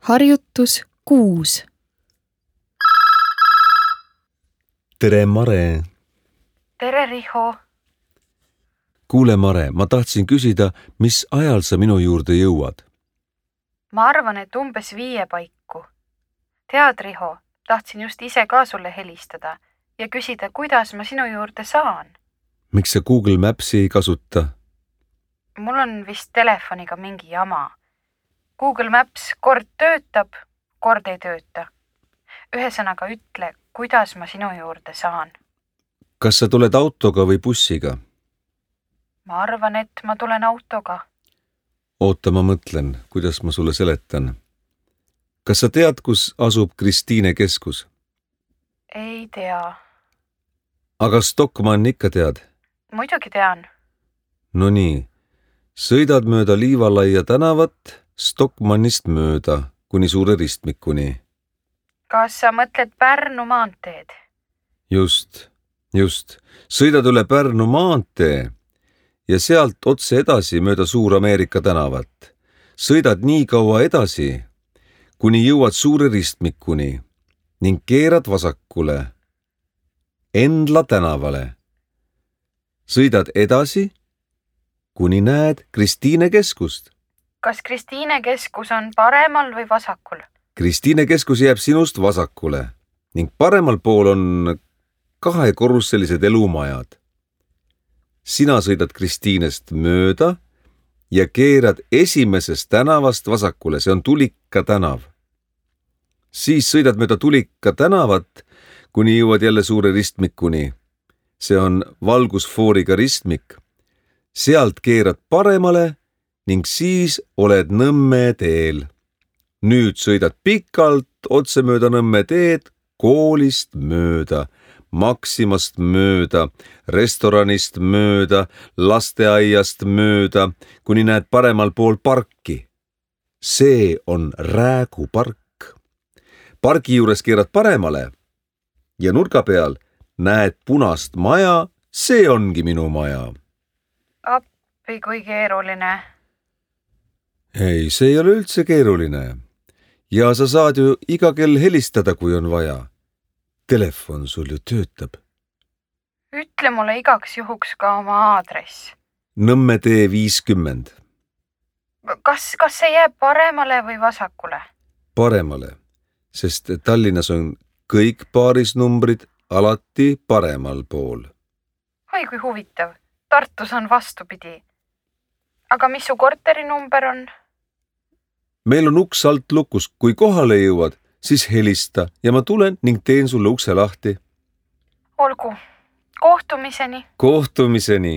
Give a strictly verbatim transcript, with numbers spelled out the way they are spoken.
Harjutus kuus. Tere, Mare! Tere, Riho! Kuule, Mare, ma tahtsin küsida, mis ajal sa minu juurde jõuad? Ma arvan, et umbes viie paiku. Tead, Riho, tahtsin just ise ka sulle helistada ja küsida, kuidas ma sinu juurde saan. Miks sa Google Mapsi ei kasuta? Mul on vist telefoniga mingi jama. Google Maps kord töötab, kord ei tööta. Ühesõnaga ütle, kuidas ma sinu juurde saan. Kas sa tuled autoga või bussiga? Ma arvan, et ma tulen autoga. Oota, ma mõtlen, kuidas ma sulle seletan. Kas sa tead, kus asub Kristiine keskus? Ei tea. Aga Stockmann ikka tead? Muidugi tean. No nii, sõidad mööda Liivalaia tänavat Stockmannist mööda kuni Suure ristmikuni. Kas sa mõtled Pärnu maanteed? Just, just. Sõidad üle Pärnu maantee ja sealt otse edasi mööda Suur-Ameerika tänavat. Sõidad nii kaua edasi, kuni jõuad Suure ristmikuni ning keerad vasakule Endla tänavale. Sõidad edasi, kuni näed Kristiine keskust. Kas Kristiine keskus on paremal või vasakul? Kristiine keskus jääb sinust vasakule ning paremal pool on kahekorruselised elumajad. Sina sõidad Kristiinest mööda ja keerad esimesest tänavast vasakule, see on Tulika tänav. Siis sõidad mööda Tulika tänavat, kuni jõuad jälle Suure ristmikuni. See on valgusfooriga ristmik. Sealt keerad paremale ning siis oled Nõmme teel. Nüüd sõidad pikalt otse mööda Nõmme teed, koolist mööda, Maximast mööda, restoranist mööda, lasteaiast mööda, kuni näed paremal pool parki. See on Räägu park. Pargi juures keerad paremale ja nurga peal näed punast maja, see ongi minu maja. Appi, kui keeruline. Ei, see ei ole üldse keeruline. Ja sa saad ju iga kell helistada, kui on vaja. Telefon sul ju töötab. Ütle mulle igaks juhuks ka oma aadress. Nõmme tee viiskümmend. Kas, kas see jääb paremale või vasakule? Paremale, sest Tallinnas on kõik paarisnumbrid alati paremal pool. Oi, kui huvitav. Tartus on vastupidi. Aga mis su korteri number on? Meil on uks alt lukus. Kui kohale jõuad, siis helista ja ma tulen ning teen sulle ukse lahti. Olgu. Kohtumiseni. Kohtumiseni.